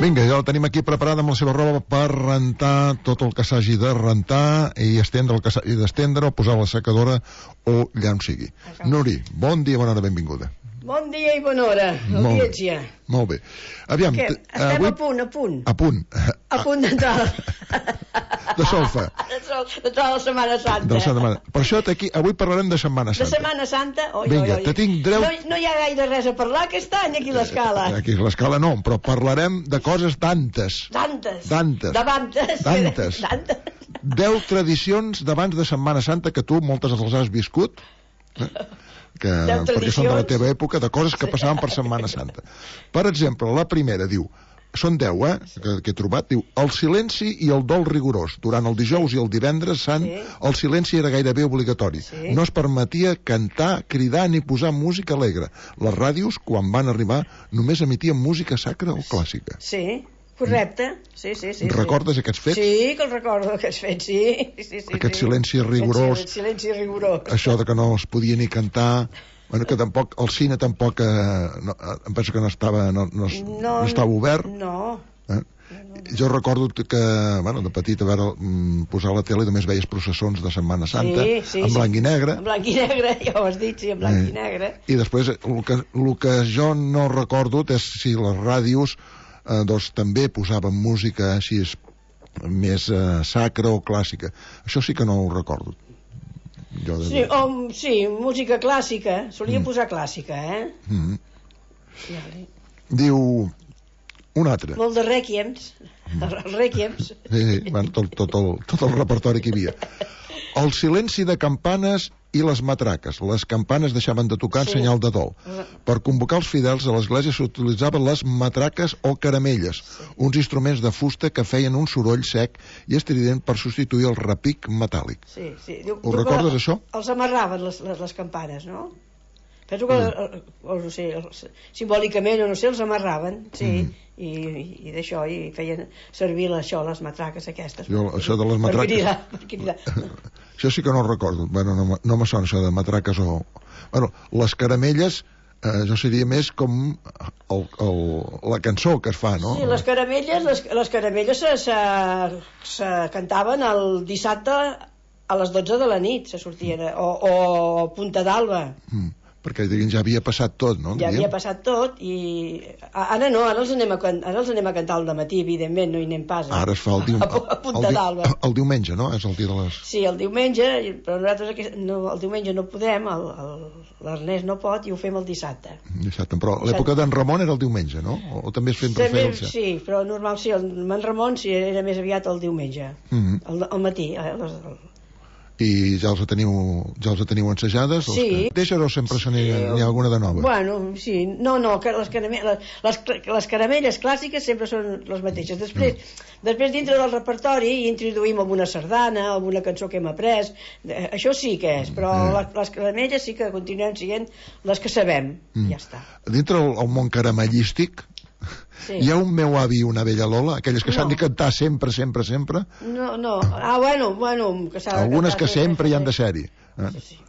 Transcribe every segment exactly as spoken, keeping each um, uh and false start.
Vinga, ja la tenim aquí preparada amb la seva roba per rentar tot el que s'hagi de rentar i estendre el que s'hagi d'estendre o posar a la secadora o allà on sigui. Nuri, bon dia, bona hora, benvinguda. Bon dia i bona hora, audiència. Molt bé. Aviam, Què? Estem avui... a punt, a punt. A punt. A punt d'entrar. De solfa. D'entrar a la Setmana Santa. De la Setmana. Per això aquí, avui parlarem de Setmana Santa. De Setmana Santa? Oi, Vinga, oi, oi. te tinc dreu... No, no hi ha gaire res a parlar aquest any aquí a l'Escala. Aquí a l'Escala no, però parlarem de coses tantes. Tantes. Tantes. Davantes. Tantes. Tantes. Deu tradicions d'abans de Setmana Santa que tu moltes les has viscut. Eh? Que, perquè són de la teva època, de coses que passaven per Setmana Santa. Per exemple, la primera diu, són deu, eh, que, que he trobat, diu, el silenci i el dol rigorós. Durant el dijous i el divendres sant, sí. El silenci era gairebé obligatori. Sí. No es permetia cantar, cridar ni posar música alegre. Les ràdios, quan van arribar, només emitien música sacra o clàssica. Sí. Correcte, sí, sí, sí. Recordes sí. aquests fets? Sí, que els recordo, aquests fets, sí. sí, sí Aquest sí. silenci rigorós. Aquest silenci rigorós. Això de que no es podia ni cantar, bueno, que tampoc, el cine tampoc, eh, no, em penso que no estava, no, no, no, no estava obert. No. Eh? Jo recordo que, bueno, de petit, a veure, posar a la tele només veies processons de Setmana Santa, sí, sí, en blanc sí. i negre. En blanc i negre, ja ho has dit, sí, en blanc eh. i negre. I després, el que, el que jo no recordo és si les ràdios Eh, doncs també posaven música així més eh, sacra o clàssica. Això sí que no ho recordo. Jo de... sí, o, sí, música clàssica. Solia mm. posar clàssica, eh? Mm. Vale. Diu un altre. Molt de rèquiems. Mm. Els rèquiems. Sí, sí. Bueno, tot, tot, el, tot el repertori que hi havia. El silenci de campanes i les matraques. Les campanes deixaven de tocar en sí. Senyal de dol. Per convocar els fidels a l'església s'utilitzaven les matraques o caramelles, sí. Uns instruments de fusta que feien un soroll sec i estrident per substituir el repic metàl·lic. Sí, sí. Diu, Ho recordes, la, això? Els amarraven, les, les, les campanes, no? Penso que, mm. o, no sé, els, simbòlicament, o no sé, els amarraven, sí, mm. i, i d'això, i feien servir això, les matraques aquestes. Jo, això de les matraques... Per cridar, per cridar. Això sí que no ho recordo. Bueno, no, no me sona això de matraques o... Bueno, les caramelles, eh, jo seria més com el, el, la cançó que es fa, no? Sí, les caramelles, les, les caramelles se, se, se cantaven el dissabte a les dotze de la nit, se sortien, o, o Punta d'Alba. Mm. Perquè ja havia passat tot, no? Ja havia passat tot i ara no, ara els anem a, ara els anem a cantar al dematí, evidentment, no hi anem pas. Ara es fa el, dium... a, a Punta d'Alba. El, el diumenge, no? És el dia de les... Sí, el diumenge, però nosaltres no, el diumenge no podem, l'Ernest no pot i ho fem el dissabte. Dissabte, però l'època d'en Ramon era el diumenge, no? O, o també es fem referència? Sí, però normal, sí, el en Ramon sí, era més aviat el diumenge, mm-hmm. el, el matí, eh, les, el, i ja els teniu, ja els teniu ensajades? Sí. Que... Deixes o sempre se n'hi ha, ha alguna de nova? Bueno, sí, no, no, les, caramelles, les, les caramelles clàssiques sempre són les mateixes. Després, mm. després dintre del repertori introduïm alguna sardana, alguna cançó que hem après, això sí que és, però mm. les, les caramelles sí que continuem sent les que sabem, mm. ja està. Dintre el, el món caramellístic, sí. Hi ha un meu avi i una vella Lola, aquelles que no. S'han de cantar sempre, sempre, sempre? No, no. Ah, bueno, bueno... Que algunes que sempre hi han de ser-hi. Eh? Sí, sí.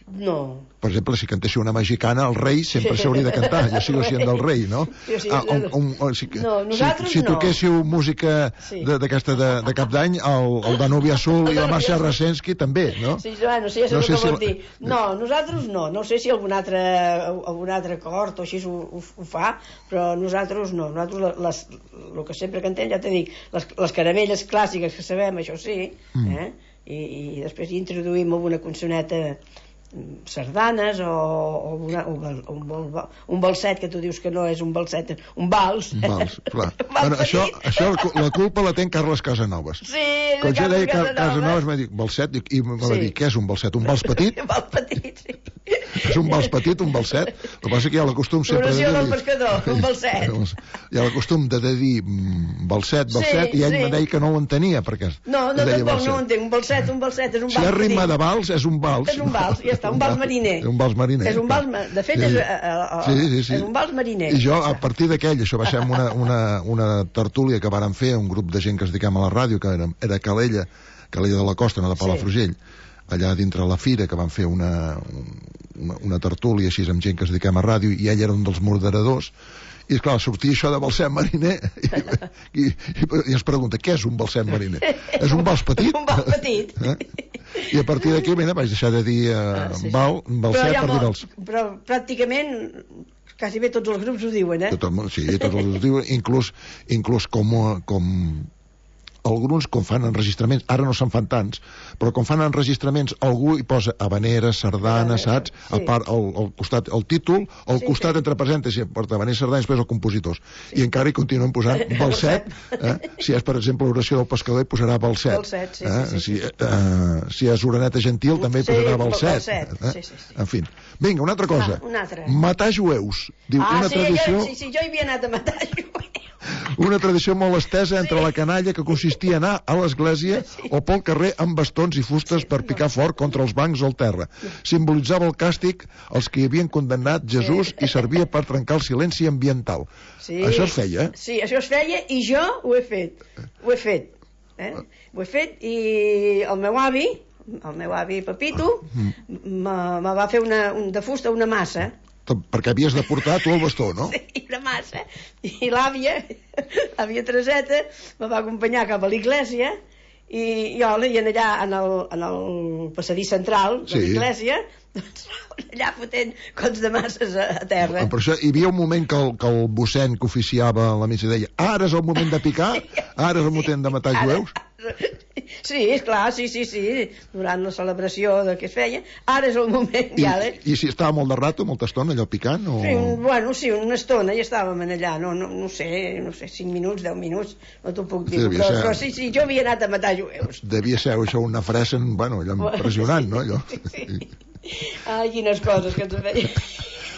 No. Per exemple, si cantessi una mexicana, el rei sempre s'hauria de cantar, ja sigui sent del rei, no? Sí, sí, ah, un, un, un, si, no, nosaltres si, si no. toquéssiu música sí. d'aquesta de, de, de cap d'any, el, el Danubi Azul i la Marcia Rasensky també, no? Sí, bueno, sí, ja sé no el sé que si vols dir. No, nosaltres no. No sé si algun altre, algun altre cort o així ho, ho, ho fa, però nosaltres no. Nosaltres, les, el que sempre cantem, ja t'he dit, les, les caramelles clàssiques que sabem, això sí, mm. eh? I, i després hi introduïm alguna consoneta sardanes o, o, una, o un, un balset que tu dius que no és un balset, un vals un vals, clar. un vals bueno, això, això la culpa la ten Carles Casanovas. Sí, quan jo deia Casanovas, Casanovas m'ha dit balset i me va sí. dir, què és un balset? Un vals petit? Un vals petit, sí. És un vals petit, un balset. El que passa que hi ha l'acostum sempre de dir... del pescador, un balset. Hi ha l'acostum de dir balset, balset, sí, i ell sí. me deia que no ho entenia, perquè no, no, tampoc no ho entenc. Un balset, un balset, és un vals. Si hi ha ritme de vals, és un vals. És un vals, ja està, un vals mariner. Un vals mariner. És un vals, de fet, sí. és, uh, sí, sí, sí. és un vals mariner. I jo, a partir d'aquell, això va ser una, una, una tertúlia que vàrem fer, un grup de gent que es dedicam a la ràdio, que era, era Calella, Calella de la Costa, no de Palafrugell, sí. allà dintre la fira, que van fer una, una tertúlia així amb gent que es dediquem a ràdio, i ell era un dels moderadors, i esclar, sortia això de balsem mariner i, i, i ens pregunta, què és un balsem mariner? És un vals petit? Un vals petit. Eh? I a partir d'aquí, mira, vaig deixar de dir eh, ah, sí, val, balset per dir vals. Però pràcticament quasi bé tots els grups ho diuen, eh? Tot, sí, tots els grups ho diuen, inclús, inclús com, com alguns, com fan enregistraments, ara no se'n fan tants, però com fan enregistraments, algú hi posa habanera, sardana, saps? Sí. A part, al, al costat, el títol, al sí, costat sí. entre parèntesis, porta habanera, sardana, i després els compositors. Sí. I encara hi continuen posant balset, eh? Si és, per exemple, l'oració del pescador, hi posarà balset. Balset, sí, eh? sí, sí. Si, eh, si és oraneta gentil, també hi posarà sí, balset. balset. Eh? Sí, sí, sí. En fi. Vinga, una altra cosa. Ah, una altra. Matar jueus. Diu, ah, una sí, tradició... jo, sí, sí, jo hi havia anat a matar jueus. Una tradició molt estesa entre sí. la canalla, que consistia a anar a l'església sí. o pel carrer amb bastons i fustes sí, per picar no. fort contra els bancs o el terra. Simbolitzava el càstig als que hi havien condemnat Jesús sí. i servia per trencar el silenci ambiental. Sí. Això es feia, eh? Sí, això es feia i jo ho he fet. Ho he fet. Eh? Ho he fet i el meu avi, el meu avi Pepito, me va fer una, un, de fusta una massa. Perquè havies de portar tu el bastó, no? Sí, una massa. I l'àvia, l'àvia Tereseta, me va acompanyar cap a l'església i jo i allà en el, en el passadís central de sí. l'església, doncs allà fotent cots de masses a, a terra. Per això hi havia un moment que el, que el mossèn que oficiava la missa deia, ara és el moment de picar, ara és el moment de matar jueus. Sí, esclar, sí, sí, sí, durant la celebració de què es feia, ara és el moment I, ja. I si estava molt de rato, molta estona, allò picant? O... Sí, un, bueno, sí, una estona i estàvem allà, no, no, no sé, no sé, cinc minuts, deu minuts, no t'ho puc dir, sí, però, ser... però sí, sí, jo havia anat a matar jueus. Devia ser això una fresa, bueno, allò impressionant, no, allò? Sí, sí. Ai, quines coses que ens feia.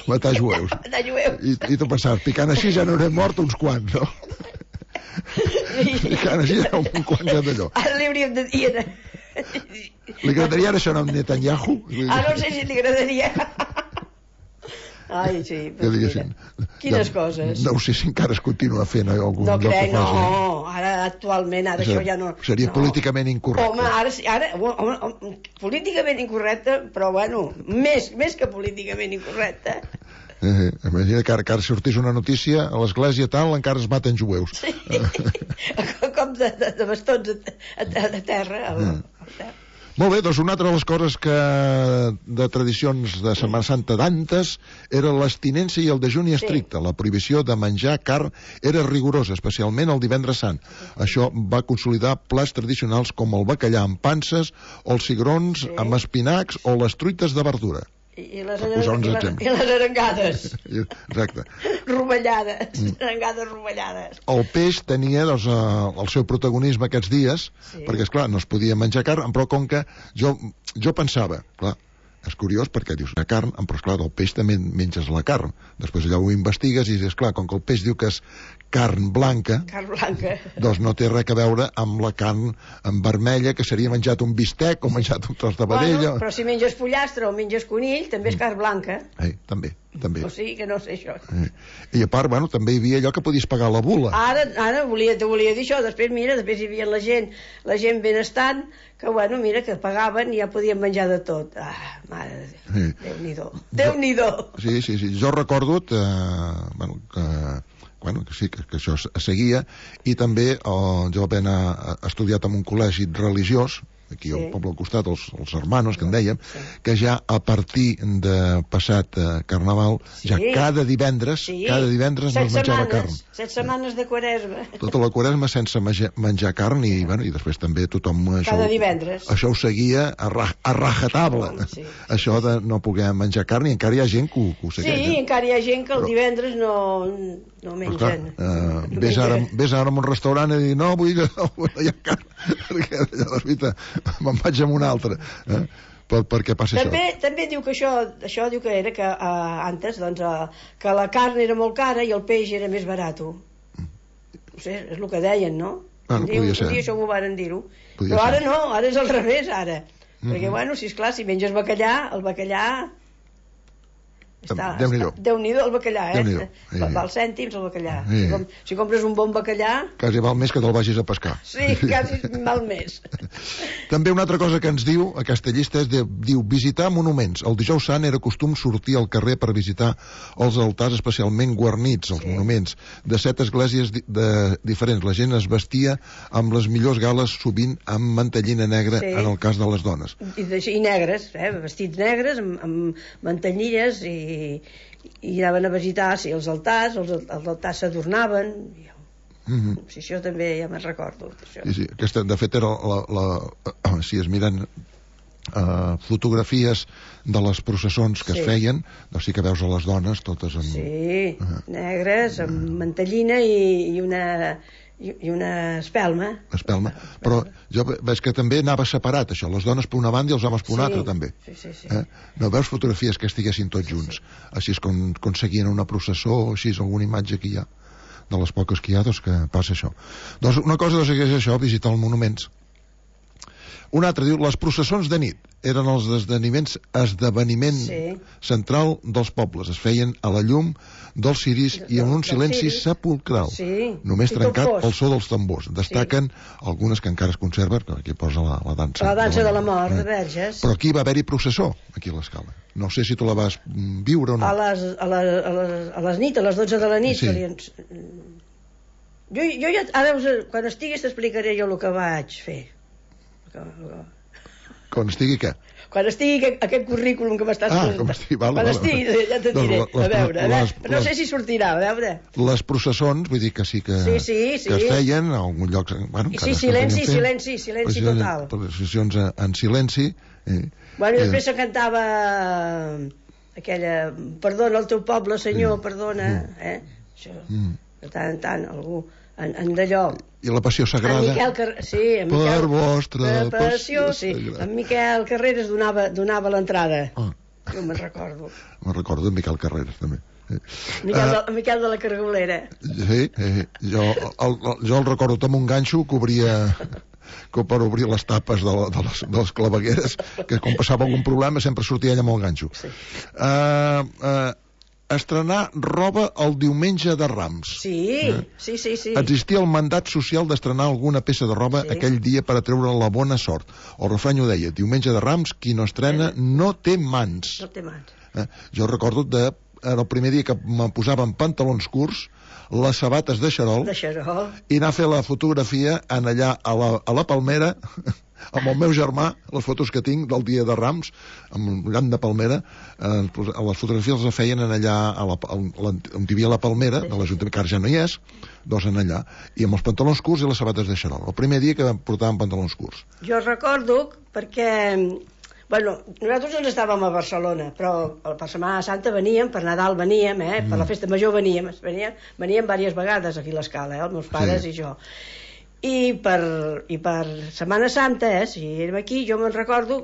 Matar jueus. Matar jueus. I, i tu pensaves, picant així ja n'haurem mort uns quants, no? Picant així ja un quants d'allò. Ara li hauríem de dir... Li agradaria ara això a Netanyahu? Ah, no sé si li agradaria. Ai, sí. Que diguessin. Quines ja, coses. No sé si encara es continua fent algun no lloc que crec, faci. No, ara actualment, ara això, això ja no... Seria no. políticament incorrecte. Home, ara, ara home, home, políticament incorrecte, però bueno, més, més que políticament incorrecte. Eh, imagina que ara, que ara sortís una notícia a l'església tal, encara es maten jueus. Sí. Com de, de, de bastons a, a, a terra. A, a terra. Molt bé, doncs una altra de les coses que de tradicions de Setmana Santa d'antes era l'abstinència i el dejuni estricte. Sí. La prohibició de menjar carn era rigorosa, especialment el divendres sant. Sí. Això va consolidar plats tradicionals com el bacallà amb panses o els cigrons sí. amb espinacs o les truites de verdura. I, i, les, i, les, i les arengades. Exacte. Rovellades, mm. arengades rovellades. El peix tenia doncs, el seu protagonisme aquests dies, sí. perquè, esclar, no es podia menjar carn, però com que jo, jo pensava, clar, és curiós perquè dius, la carn, però esclar, del peix també menges la carn. Després allà ho investigues i dius, esclar, com que el peix diu que és carn blanca, carn blanca, doncs no té res a veure amb la carn en vermella, que seria menjat un bistec o menjat un tros de vedella. Bueno, però si menges pollastre o menges conill, també és carn blanca. Eh, també, també. O sigui que no sé això. Eh. I a part, bueno, també hi havia allò que podies pagar la bula. Ara, ara volia, te volia dir això, després mira, després hi havia la gent, la gent benestant, que bueno, mira, que pagaven i ja podien menjar de tot. Ah, mare de Déu, sí. Déu-n'hi-do. Déu-n'hi-do. Sí, sí, sí, jo recordo eh, bueno, que bueno, que sí, que, que això es seguia, i també eh, jo vaig anar estudiat en un col·legi religiós, aquí sí. al poble al costat, els, els hermanos, que en dèiem, sí. que ja a partir de passat eh, Carnaval, sí. ja cada divendres, sí. cada divendres no es menjava carn. Set setmanes de Quaresma. Tota la Quaresma sense menjar carn, i, bueno, i després també tothom... Això, cada divendres. Això ho seguia a, ra, a rajatable. Oh, sí. Això de no poder menjar carn, i encara hi ha gent que ho, que ho segueix. Sí, encara hi ha gent que el Però... divendres no... no mengen. Clar, uh, no ves, ara, ves ara a un restaurant i dir no, vull, no, vull hi ha carn, perquè allà la veritat me'n vaig amb un altre. Eh? Per, per què passa també, això? També diu que això, això diu que era que uh, antes, doncs, uh, que la carn era molt cara i el peix era més barat. Mm. No sé, és el que deien, no? Ah, no diu, podia ser. Un dia això m'ho van dir-ho. Podia Però ara ser. no, ara és al revés, ara. Mm-hmm. Perquè, bueno, si esclar, si menges bacallà, el bacallà... Déu-n'hi-do. Déu-n'hi-do el bacallà, eh? Val cèntims el bacallà. Si compres un bon bacallà... Quasi val més que te'l vagis a pescar. Sí, quasi val més. També una altra cosa que ens diu aquesta llista és, diu, visitar monuments. El dijous sant era costum sortir al carrer per visitar els altars especialment guarnits, els monuments, de set esglésies diferents. La gent es vestia amb les millors gales, sovint amb mantellina negra, en el cas de les dones. I negres, eh? Vestits negres, amb mantellines i I, i anaven a visitar, sí, els altars, els, els altars s'adornaven. Mm-hmm. Sí, això també ja me'n recordo. Això. Sí, sí, aquesta, de fet, era la, la, la, si es miren uh, fotografies de les processons que sí. es feien, doncs sí que veus a les dones totes amb... Sí, uh -huh. negres, amb uh -huh. mantellina i, i una... i una espelma. Espelma. Però jo veig que també anava separat, això. Les dones per una banda i els homes per una sí. altra, també. Sí, sí, sí. Eh? No veus fotografies que estiguessin tots sí, junts. Sí. Així és com, com seguien una processó, o així és alguna imatge que hi ha. De les poques que hi ha, doncs que passa això. Doncs una cosa doncs, és això, visitar els monuments. Un altre diu, les processons de nit eren els esdeveniments, esdeveniment sí. central dels pobles. Es feien a la llum dels ciris i en un silenci sepulcral, sí. només trencat pel so dels tambors. Destaquen sí. algunes que encara es conserven, que aquí posa la, la dansa. La dansa de la, de la mort, de Verges. Però aquí va haver-hi processó, aquí a l'Escala. No sé si tu la vas viure o no. A les, a les, a les, a les nit, a les dotze de la nit. Sí. Li... Jo, jo ja, ara, quan estiguis t'explicaré jo el que vaig fer. Quan estigui què? Quan estigui aquest, aquest currículum que m'estàs ah, presentant. Estigui, vale, quan vale. estigui, ja te diré. Les, a veure, a veure. Les, no les, sé si sortirà, a veure. Les processons, vull dir que sí que, sí, sí, sí. que es feien en algun lloc... Bueno, sí, silenci, silenci, silenci total. Processions en silenci. Eh, bueno, i després eh, se cantava aquella... Perdona el teu poble, senyor, sí. perdona. Eh? Això, mm. de tant en tant, algú... En, en d'allò... I la passió sagrada... En Miquel Car... Sí, en per Miquel... vostra passió, passió sí. sagrada. En Miquel Carreras donava, donava l'entrada. Ah. Jo me'n recordo. Me'n recordo en Miquel Carreras, també. Miquel, uh, de, Miquel de la Cargolera. Sí, eh, jo, el, el, jo el recordo amb un ganxo que obria... que per obrir les tapes de, la, de, les, de les clavegueres, que quan passava algun problema sempre sortia ella amb el ganxo. Sí. Uh, uh, estrenar roba el diumenge de Rams. Sí, eh? sí, sí, sí. Existia el mandat social d'estrenar alguna peça de roba sí. aquell dia per atreure la bona sort. El refrany ho deia, diumenge de Rams, qui no estrena no té mans. No té mans. Eh? Jo recordo de, el primer dia que me posaven pantalons curts, les sabates de xarol, de xarol, i anar a fer la fotografia en allà a la, a la Palmera, amb el meu germà, les fotos que tinc del dia de Rams, amb un llamp de palmera, eh, les fotografies les feien en allà, a la, a, on hi havia la palmera, de l'Ajuntament, que ara ja no hi és, dos en allà, i amb els pantalons curts i les sabates de xarol. El primer dia que portàvem pantalons curts. Jo recordo, perquè... Bueno, nosaltres ens estàvem a Barcelona, però per Setmana Santa veníem, per Nadal veníem, eh? per la festa major veníem, veníem, veníem diverses vegades aquí a l'Escala, eh? els meus pares sí. i jo. I per, i per Setmana Santa, eh, si érem aquí, jo me'n recordo,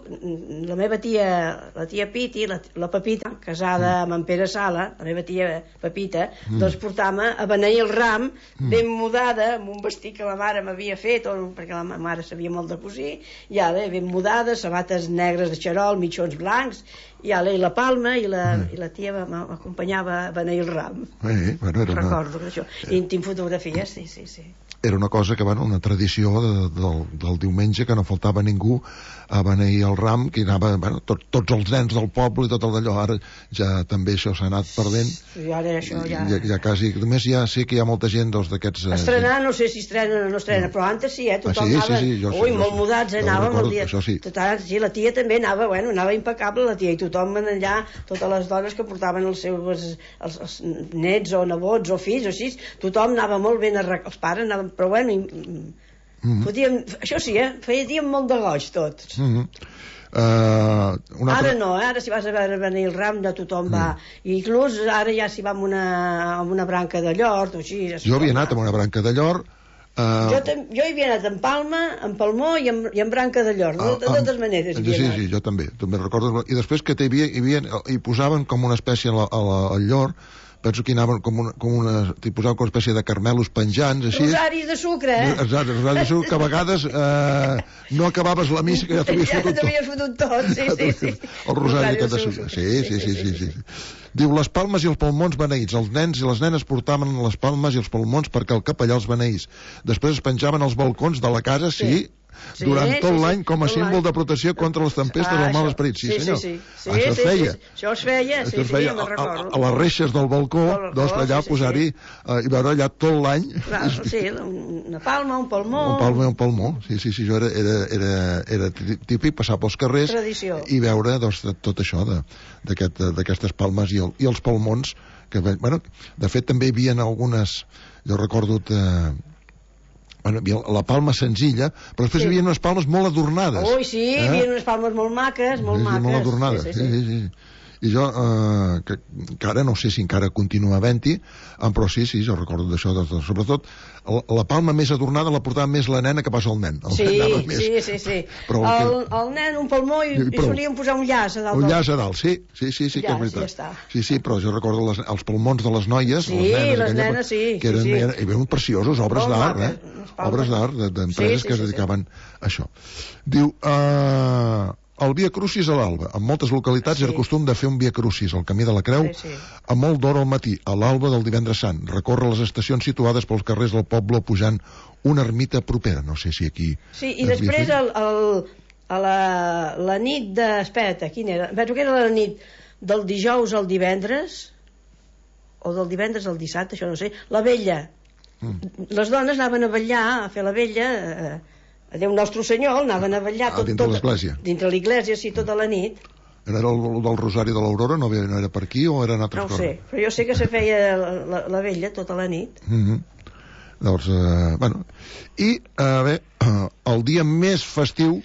la meva tia, la tia Piti, la, la Pepita, casada mm. amb en Pere Sala, la meva tia Pepita, mm. doncs portava a beneir el ram, mm. ben mudada, amb un vestit que la mare m'havia fet, o, perquè la mare sabia molt de cosir, i ara ben mudada, sabates negres de xarol, mitjons blancs, i ara i la palma, i la, mm. i la tia m'acompanyava a beneir el ram. Eh, bueno, era recordo una... això. I tinc fotografies, sí, sí, sí. Era una cosa que, bueno, una tradició de, del, del diumenge, que no faltava ningú a beneir el ram, que hi anava, bueno, tot, tots els nens del poble i tot el d'allò. Ara ja també això s'ha anat perdent. I ara això ja... Ja, ja quasi... Només ja sé que hi ha molta gent doncs, d'aquests... Eh, estrenar, no sé si estrena o no estrena, no. però antes sí, eh? Tothom ah, sí, anava... Sí, sí, jo, Ui, jo, molt jo, mudats, eh? Anàvem el dia... Això sí. Total, sí, la tia també anava, bueno, anava impecable, la tia, i tothom allà, totes les dones que portaven els seus els, els nets o nebots o fills o així, tothom anava molt ben arreglat, els pares anaven, però bueno... I, Mm-hmm. Podíem, això sí, eh? Fèiem molt de goig tots. Mm-hmm. uh, una ara altra... no, eh? Ara si vas a venir el ram ja tothom va mm. i inclús ara ja si va amb una, amb una branca de llor o així, jo havia anat amb una branca de llor. Uh... Jo, jo hi havia anat en palma, en palmó i en, i en branca de llor, de, de totes maneres. Sí, sí, sí, jo també, també recordo. I després que hi havia, hi, havia, hi posaven com una espècie a la, a la, al llor, penso que hi anaven com una, com una, t'hi posaven com una espècie de carmelos penjants, així. Rosaris de sucre, eh? Exacte, rosaris de sucre, que a vegades eh, no acabaves la missa, que ja t'havies ja fotut tot. t'havies fotut tot, sí, sí, sí. El rosari aquest de sucre. Sí, sí, sí, sí, sí, sí. Diu, les palmes i els palmons beneïts. Els nens i les nenes portaven les palmes i els palmons perquè el capellà els beneís. Després es penjaven als balcons de la casa, sí, Sí, durant sí, tot sí, l'any com a tot símbol l'any. de protecció contra les tempestes Ah, del mal això. esperit. Sí, Sí, senyor. sí, sí. Sí, Això es sí, feia. sí, això es feia, sí, Això es sí, feia me'n a, a, recordo. a les reixes del balcó, Balcó, doncs allà sí, sí, posar-hi eh, i veure allà tot l'any. Clar, sí, una palma, un palmó. Un palmó, un palmó. Sí, sí, sí, això era, era, era, era típic, passar pels carrers Tradició. i veure doncs, tot això de- d'aquest- d'aquestes palmes i, el, i els palmons que, bueno, de fet també hi havia algunes, jo recordo eh, bueno, hi havia la palma senzilla, però després Sí. hi havia unes palmes molt adornades. Ui, sí, hi havia unes palmes molt maques, molt Sí, sí, maques. molt adornades. Sí, Sí, sí, sí. sí, sí. I jo, eh, que, que ara no sé si encara continua havent-hi, eh, però sí, sí, jo recordo d'això, de, de, sobretot la, la palma més adornada la portava més la nena que passa el nen. El Sí, nen anava més. sí, sí, sí. Però el El, que- el nen, un palmó i, I i prou. solíem posar un llaç a dalt. Un del- llaç a dalt, sí, sí, sí, sí, que és Llaç, veritat. ja està. Sí, sí, però jo recordo les, els palmons de les noies, Sí, les nenes, les aquella, nenes, sí, que eren, sí, sí. eren, eren preciosos, obres Molt d'art, maques, eh? unes palmes. Obres d'art, de- d'empreses Sí, sí, que es sí, sí. dedicaven a això. Diu, eh, el Via Crucis a l'alba. En moltes localitats Sí. era costum de fer un Via Crucis al camí de la Creu Sí, sí. a molt d'hora al matí, a l'alba del divendres sant. Recorre les estacions situades pels carrers del poble pujant una ermita propera. No sé si aquí... Sí, i es havia després fet. el, el, a la, la nit de... Espera, quina era? Penso que era la nit del dijous al divendres, o del divendres al dissabte, això no sé. La vella. Mm. Les dones anaven a vetllar, a fer la vella... Eh, a Déu Nostre Senyor, anaven a vetllar... Ah, Tot, dintre tot, l'església. Dintre l'església, sí, tota la nit. Era el, el del Rosari de l'Aurora? No, ve- no era per aquí o eren altres No ho coses? sé, però jo sé que se feia la, la, la vella tota la nit. Mm -hmm. Llavors, eh, bueno... I, a veure, el dia més festiu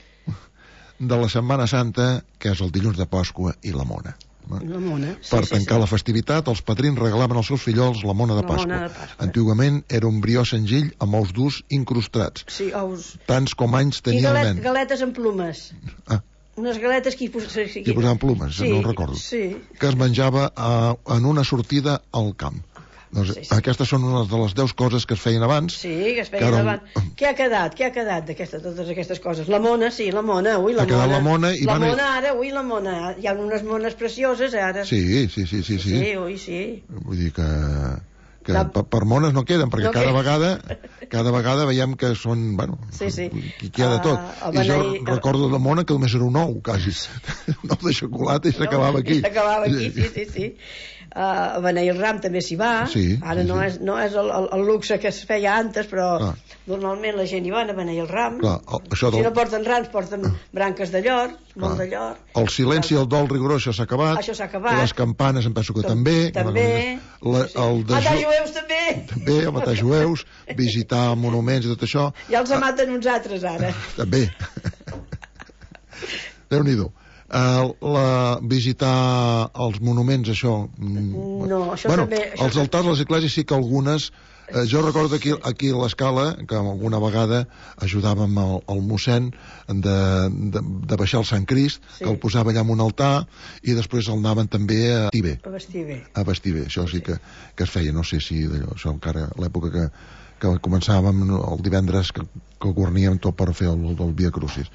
de la Setmana Santa, que és el dilluns de Pasqua i la Mona. La mona. Sí, Per sí, tancar sí. la festivitat, els padrins regalaven als seus fillols la mona de La Pasqua. mona de Pasqua. Antigament era un brió senzill amb ous durs incrustats, Sí, ous. tants com anys I tenia el galet, nen. galetes amb plumes. Ah, Unes galetes que hi, pos... sí, hi posaven plumes, sí, no ho recordo. Sí. Que es menjava a, en una sortida al camp. Doncs, Sí, sí. aquestes són unes de les deu coses que es feien abans. Sí, que es Que feien ara- davant. Què ha quedat? Què ha quedat d'aquestes, totes aquestes coses? La mona, sí, la mona, ui, la Ha quedat mona. la mona i la van a- mona ara, ui, la mona. Hi ha unes mones precioses, ara. Sí, sí, sí, sí, sí. Sí, ui, sí. Vull dir que, que No. per, per mones no queden, perquè No cada queden. vegada cada vegada veiem que són, bueno, Sí, sí. qui queda tot. Ah, el I jo beneir- recordo la mona que només era un ou, quasi. Un ou de xocolata i s'acabava aquí. I s'acabava aquí, sí, sí, sí. Uh, a beneir el ram també s'hi va. Sí, Ara sí, no, sí. és, no és el, el, el luxe que es feia antes, però Clar. normalment la gent hi va a beneir el ram. Clar, el- això Si del- no porten rams, porten branques de llor, molt de llor. El silenci i el dol rigorós, això s'ha acabat. Això s'ha acabat. Les campanes em penso que també. També. La, Sí, sí. el de Matar ju- jueus també. També, a matar jueus, visitar monuments i tot això. Ja els maten uns altres ara. També. Déu-n'hi-do. Uh, la, visitar els monuments, això... mm, No, això bueno, també- això els altars, les esglésies sí que algunes... Eh, jo recordo aquí, aquí a l'escala que alguna vegada ajudàvem el, el mossèn de, de, de baixar el Sant Crist, Sí. que el posava allà en un altar i després el anaven també a vestir bé, A vestir bé. a vestir bé. Això sí que, que es feia, no sé si d'allò, això encara a l'època que, que començàvem el divendres que, que guarníem tot per fer el, el Via Crucis.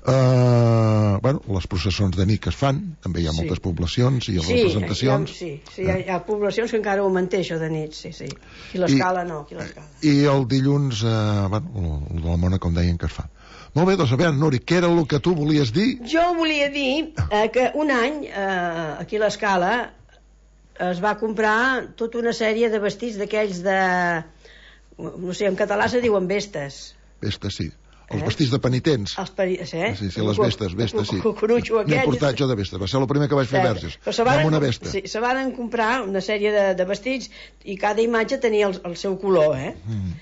Uh, bueno, les processons de nit que es fan, també hi ha Sí. moltes poblacions i les Sí, representacions. Hi ha, sí, sí hi, ha, hi ha poblacions que encara ho manté, això de nit, sí, sí. Aquí l'escala no, aquí l'escala. I el dilluns, eh, bueno, el, el de la mona, com deien, que es fa. Molt bé, doncs a veure, Nuri, què era el que tu volies dir? Jo volia dir eh, que un any, eh, aquí a l'escala, es va comprar tota una sèrie de vestits d'aquells de... No sé, en català se diuen vestes. Vestes, sí. Els Eh? vestits de penitents. Els peri... eh? Sí, sí, les vestes, vestes, sí. El cucurutxo N'he aquell. portat jo de vestes, va ser el primer que vaig fer verges. Però se varen, Amb una vesta. sí, se varen comprar una sèrie de, de vestits i cada imatge tenia el, el seu color, eh? Mm.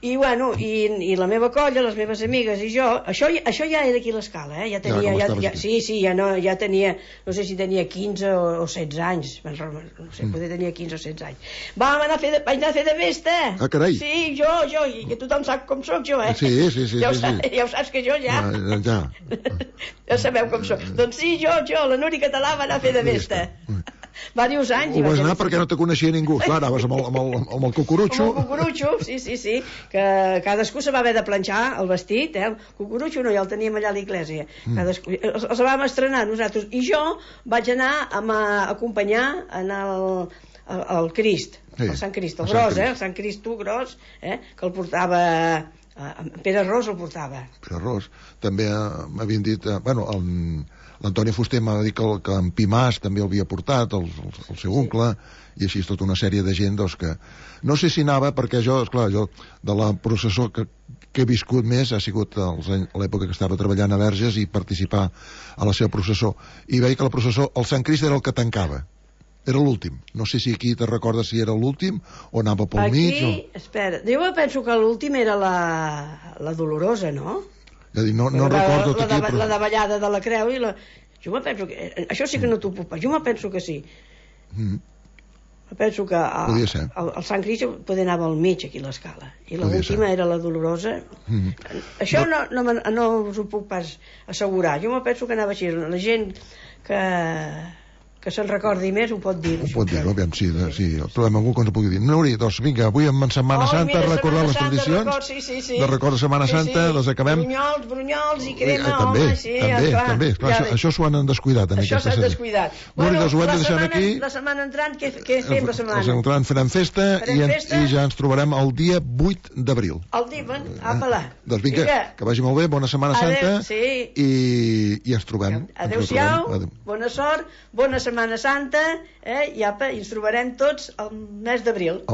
I bueno, i, i la meva colla, les meves amigues i jo, això, això ja era aquí a l'escala, eh? Ja tenia, com ja, estaves ja, aquí. sí, sí, ja, no, ja tenia, no sé si tenia quinze o, o setze anys, no sé, Mm. poder tenia quinze o setze anys. Vam anar a fer de, vaig anar a fer de vesta. Ah, carai. Sí, jo, jo, i que tothom sap com sóc jo, eh? Sí, sí, sí, ja, ho sí, saps, sí. ja ho saps que jo ja... Ah, ja. Ja sabeu com sóc. Doncs sí, jo, jo, la Núria Català va anar a fer de vesta. Diversos anys. Ho vas anar perquè no te coneixia ningú. Clar, anaves amb el, amb el, amb el cucurutxo. Amb el cucurutxo, sí, sí, sí. Que cadascú se va haver de planxar el vestit, eh? El cucurutxo no, ja el teníem allà a l'església. Mm. Cadascú... Els, els vam estrenar nosaltres. I jo vaig anar a, a acompanyar en el, el, el Crist, sí, el Sant Crist, el, el gros, eh? El Sant Cristo gros, eh? Que el portava... Pere Ros el portava. Pere Ros. També eh, m'havien dit... Eh, bueno, el... L'Antoni Fuster m'ha dit que, el, que en Pimàs també el havia portat, el, el, el seu oncle, i així tota una sèrie de gent doncs, que... No sé si anava, perquè jo, esclar, jo de la processó que, que he viscut més ha sigut els anys, a l'època que estava treballant a Verges i participar a la seva processó. I veia que la processó, el Sant Crist era el que tancava. Era l'últim. No sé si aquí te recordes si era l'últim o anava pel aquí, mig. O... Espera, jo penso que l'últim era la, la Dolorosa, no? Ja dic, no, no la, recordo la, aquí, la, però... la davallada de la creu i la... Jo me penso que... Això sí que no t'ho puc pas. Jo me penso que sí. Mm. Me penso que el, el, el Sant Crist poder anava al mig aquí l'escala i l'última era la Dolorosa. Mm. Això no, no, no us ho puc pas assegurar. Jo me penso que anava així. La gent que... que se'n recordi més, ho pot dir. Ho pot dir, aviam, sí, de, sí, trobem algú que ens ho pugui dir. Nuri, doncs vinga, avui en Setmana oh, Santa mira, recordar les tradicions, record, sí, sí, sí. de record de Setmana sí, Santa, sí. Les acabem... Brunyols, brunyols i crema, eh, també, home, sí, també, clar, també, clar, ja, això, això s'ho han descuidat. En això s'ha descuidat. Nuri, bueno, doncs ho hem de deixar aquí. La setmana entrant, què, què fem la setmana? La setmana entrant farem festa, farem i, festa i ja ens trobarem el dia vuit d'abril. El dia, bueno, apa-la. Eh, doncs vinga, vinga, que vagi molt bé, bona Setmana Santa, adeu, sí. i, i ens trobem. Adéu-siau, adéu. Bona sort, bona Setmana Santa, eh, i apa, i ens trobarem tots el mes d'abril.